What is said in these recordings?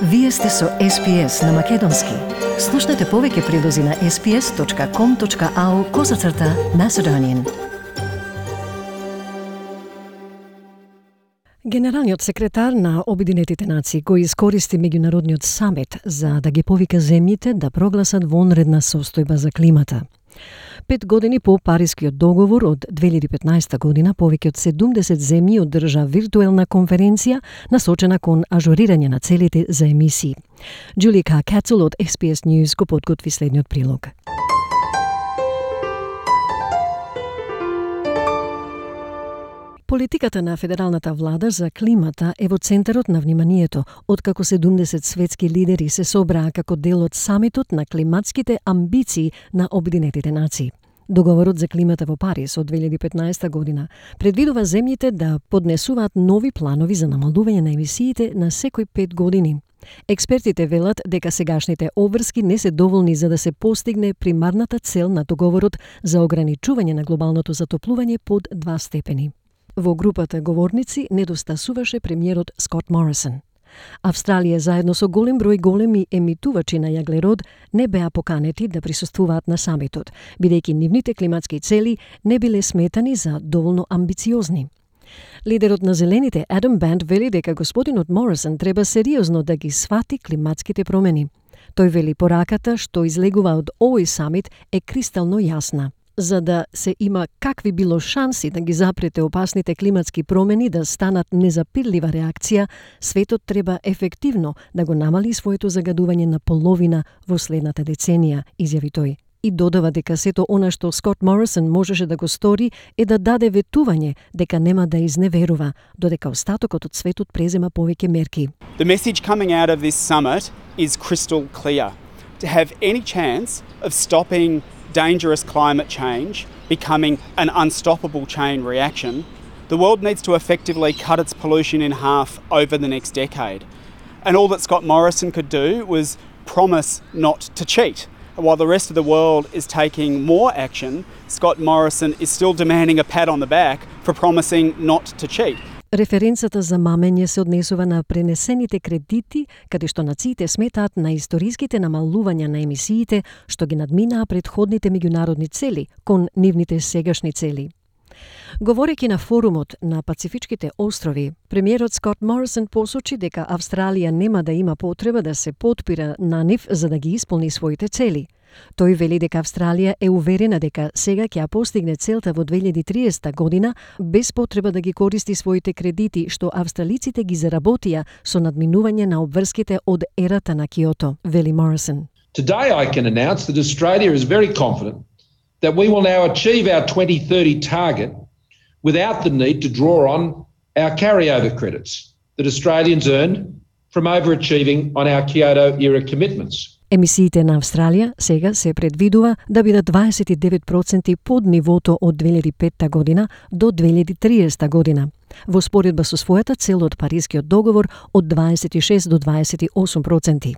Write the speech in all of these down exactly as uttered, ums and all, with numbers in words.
Вие сте со Ес Пи Ес на Македонски. Слушнете повеќе прилози на ес пи ес точка ком точка ау козацрта Macedonian. Генералниот секретар на Обединетите нации кој искористи меѓународниот самит за да ги повика земјите да прогласат вонредна состојба за климата. Пет години по Парискиот договор од две илјади и петнаесета година, повеќе од седумдесет земји одржа виртуелна конференција насочена кон ажурирање на целите за емисии. Джули Кацел од Ес Пи Ес News го подготви следниот прилог. Политиката на федералната влада за климата е во центарот на вниманието, откако седумдесет светски лидери се собраа како дел од самитот на климатските амбиции на Обединетите нации. Договорот за климата во Париз од две илјади и петнаесета година предвидува земјите да поднесуваат нови планови за намалување на емисиите на секој пет години. Експертите велат дека сегашните обврски не се доволни за да се постигне примарната цел на договорот за ограничување на глобалното затоплување под два степени. Во групата говорници недостасуваше премиерот Скот Морисон. Австралија заедно со голем број големи емитувачи на јаглерод не беа поканети да присуствуваат на самитот, бидејќи нивните климатски цели не биле сметани за доволно амбициозни. Лидерот на Зелените Адам Банд вели дека господинот Морисон треба сериозно да ги свати климатските промени. Тој вели пораката што излегува од овој самит е кристално јасна. За да се има какви било шанси да ги запрете опасните климатски промени да станат незапирлива реакција, светот треба ефективно да го намали своето загадување на половина во следната деценија, изјави тој. И додава дека сето она што Скот Морисон можеше да го стори е да даде ветување дека нема да изневерува, додека остатокот од светот презема повеќе мерки. The message coming out of this summit is crystal clear. To have any chance of stopping dangerous climate change becoming an unstoppable chain reaction, the world needs to effectively cut its pollution in half over the next decade. And all that Scott Morrison could do was promise not to cheat. While the rest of the world is taking more action, Scott Morrison is still demanding a pat on the back for promising not to cheat. Референцата за мамење се однесува на пренесените кредити, каде што нациите сметаат на историските намалувања на емисиите што ги надминаа претходните меѓународни цели кон нивните сегашни цели. Говорејќи на форумот на Пацифичките острови, премиерот Скот Морисон посочи дека Австралија нема да има потреба да се потпира на нив за да ги исполни своите цели. Тој вели дека Австралија е уверена дека сега ќе ја постигне целта во две илјади и триесета година без потреба да ги користи своите кредити што австралиците ги заработија со надминување на обврските од ерата на Киото, вели Морисон. Today I can announce that Australia is very confident that we will now achieve our twenty thirty target without the need to draw on our carryover credits that Australians earned from overachieving on our Kyoto era commitments. Емисиите на Австралија сега се предвидува да бидат дваесет и девет проценти под нивото од две илјади и петта година до две илјади и триесета година, во споредба со својата цел од Парискиот договор од дваесет и шест до дваесет и осум проценти.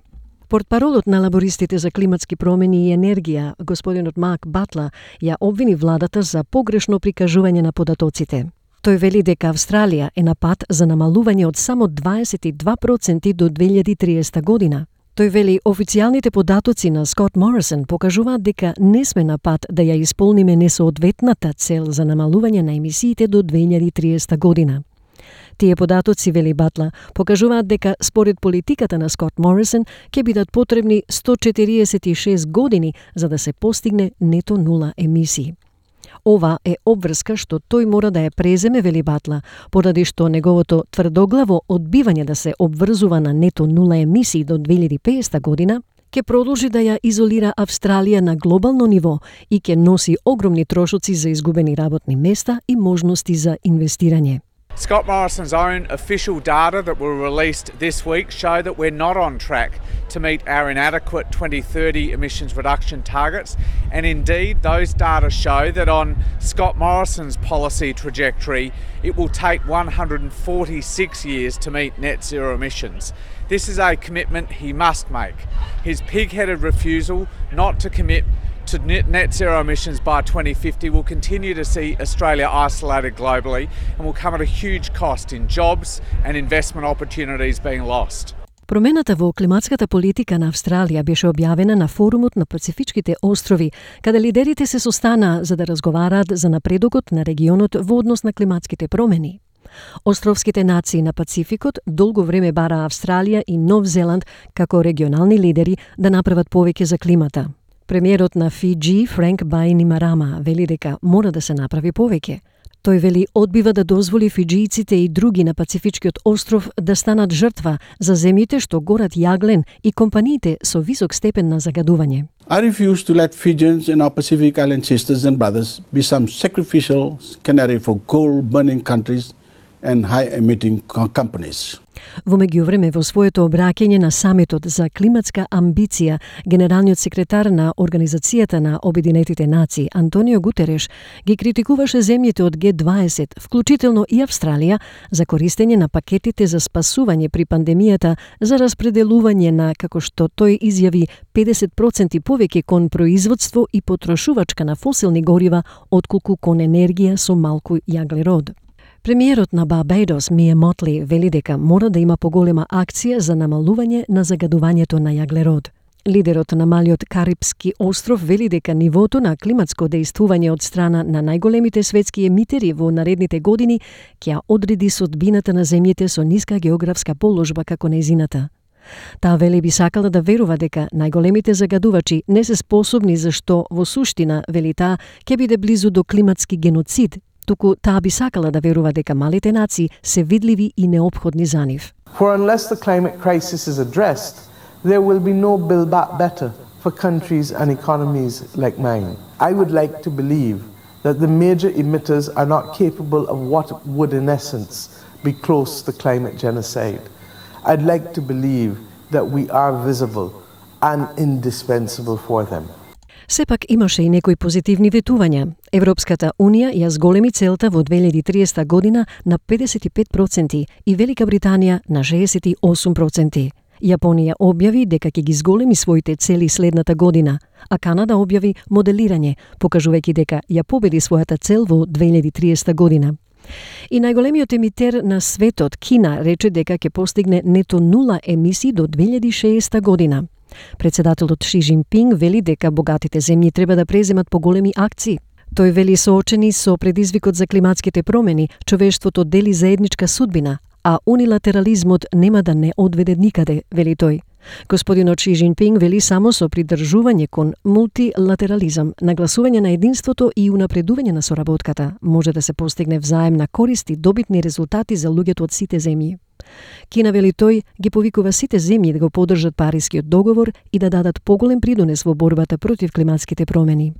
Портпаролот на лабористите за климатски промени и енергија, господинот Марк Батла, ја обвини владата за погрешно прикажување на податоците. Тој вели дека Австралија е на пат за намалување од само дваесет и два проценти до две илјади и триесета година. Тој вели официјалните податоци на Скот Морисон покажуваат дека не сме на пат да ја исполниме несоодветната цел за намалување на емисиите до две илјади и триесета година. Тие податоци, вели Батла, покажуваат дека според политиката на Скот Морисон ќе бидат потребни сто четириесет и шест години за да се постигне нето нула емисии. Ова е обврска што тој мора да ја преземе, вели Батла, поради што неговото тврдоглаво одбивање да се обврзува на нето нула емисии до две илјади и петдесета година ќе продолжи да ја изолира Австралија на глобално ниво и ќе носи огромни трошоци за изгубени работни места и можности за инвестирање. Scott Morrison's own official data that were released this week show that we're not on track to meet our inadequate twenty thirty emissions reduction targets, and indeed those data show that on Scott Morrison's policy trajectory it will take one hundred forty-six years to meet net zero emissions. This is a commitment he must make. His pig-headed refusal not to commit to net zero emissions by twenty fifty will continue to see Australia isolated globally and will come at a huge cost in jobs and investment opportunities being lost. Промената во климатската политика на Австралија беше објавена на форумот на Пацифичките острови, каде лидерите се состана за да разговараат за напредокот на регионот во однос на климатските промени. Островските нации на Пацификот долго време бара Австралија и Нов Зеланд како регионални лидери да направат повеќе за климата. Премиерот на Фиџи, Френк Бајнимарама, вели дека мора да се направи повеќе. Тој вели одбива да дозволи фиџијците и други на Пацифичкиот остров да станат жртва за земјите што горат јаглен и компаниите со висок степен на загадување. I refuse to let Fijians and our Pacific Island sisters and brothers be some sacrificial canary for coal-burning countries and high-emitting companies. Во меѓувреме, во своето обраќање на самитот за климатска амбиција, генералниот секретар на Организацијата на Обединетите нации Антонио Гутереш ги критикуваше земјите од Г дваесет, вклучително и Австралија, за користење на пакетите за спасување при пандемијата за распределување на, како што тој изјави, педесет проценти повеќе кон производство и потрошувачка на фосилни горива отколку кон енергија со малку јаглерод. Премиерот на Барбадос Мија Мотли вели дека мора да има поголема акција за намалување на загадувањето на јаглерод. Лидерот на малиот Карипски остров вели дека нивото на климатско дејствување од страна на најголемите светски емитери во наредните години ќе одреди судбината на земјите со ниска географска положба како нејзината. Таа вели би сакала да верува дека најголемите загадувачи не се способни, зашто во суштина, вели таа, ќе биде близу до климатски геноцид, туку таа би сакала да верува дека малите нации се видливи и неопходни за нив. For unless the climate crisis is addressed, there will be no build back better for countries and economies like mine. I would like to believe that the major emitters are not capable of what would in essence be close to climate genocide. I'd like to believe that we are visible and indispensable for them. Сепак имаше и некои позитивни ветувања. Европската Унија ја зголеми целта во две илјади и триесета година на педесет и пет проценти и Велика Британија на шеесет и осум проценти. Јапонија објави дека ќе ги зголеми своите цели следната година, а Канада објави моделирање, покажувајќи дека ја победи својата цел во две илјади и триесета година. И најголемиот емитер на светот, Кина, рече дека ќе постигне нето нула емисии до две илјади и шеесета година. Председателот Ши Џинпинг вели дека богатите земји треба да преземат поголеми акции. Тој вели соочени со предизвикот за климатските промени, човештвото дели заедничка судбина, а унилатерализмот нема да не одведе никаде, вели тој. Господинот Ши Џинпинг вели само со придржување кон мултилатерализам, нагласување на единството и унапредување на соработката може да се постигне взаемна корист и добитни резултати за луѓето од сите земји. Кина, вели тој, ги повикува сите земји да го поддржат Парискиот договор и да дадат поголем придонес во борбата против климатските промени.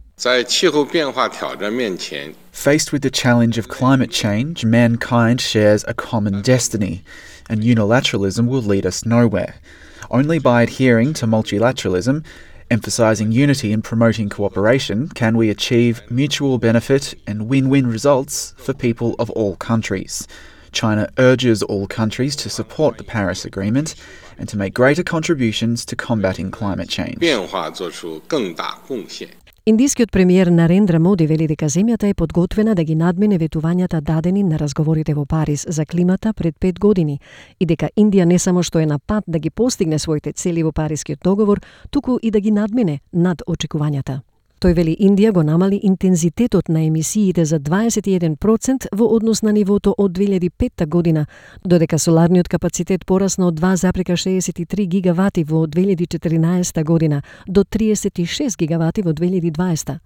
Faced with the challenge of climate change, mankind shares a common destiny, and unilateralism will lead us nowhere. Only by adhering to multilateralism, emphasising unity and promoting cooperation, can we achieve mutual benefit and win-win results for people of all countries. China urges all countries to support the Paris Agreement and to make greater contributions to combating climate change. Индискиот премиер Нарендра Моди вели дека земјата е подготвена да ги надмине ветувањата дадени на разговорите во Париз за климата пред пет години и дека Индија не само што е на пат да ги постигне своите цели во Парискиот договор, туку и да ги надмине над очекувањата. Тој вели Индија го намали интензитетот на емисиите за дваесет и еден проценти во однос на нивото од две илјади и петта година, додека соларниот капацитет порасна од два зарез шеесет и три гигавати во две илјади и четиринаесета година до триесет и шест гигавати во две илјади и дваесета.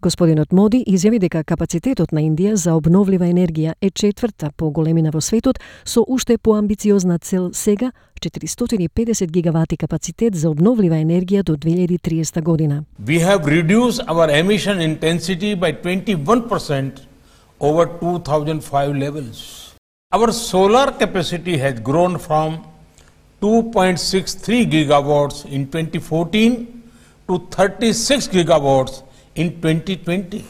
Господинот Моди изјави дека капацитетот на Индија за обновлива енергија е четврта по големина во светот, со уште поамбициозна цел сега четиристотини и педесет гигавати капацитет за обновлива енергија до две илјади и триесета година. We have reduced our emission intensity by twenty-one percent over two thousand five levels. Our solar capacity has grown from two point six three gigawatts in twenty fourteen to thirty-six gigawatts in twenty twenty.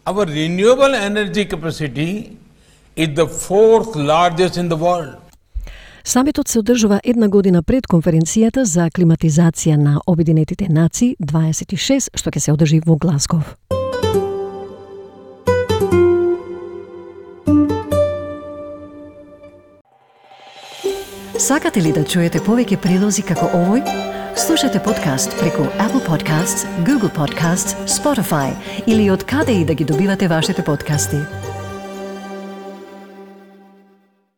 Our renewable energy capacity is the fourth largest in the world. Самитот се одржува една година пред конференцијата за климатизација на Обединетите нации дваесет и шест, што ќе се одржи во Глазгов. Сакате ли да чуете повеќе прилози како овој? Слушате подкаст преку Apple Podcasts, Google Podcasts, Spotify или од каде и да ги добивате вашите подкасти.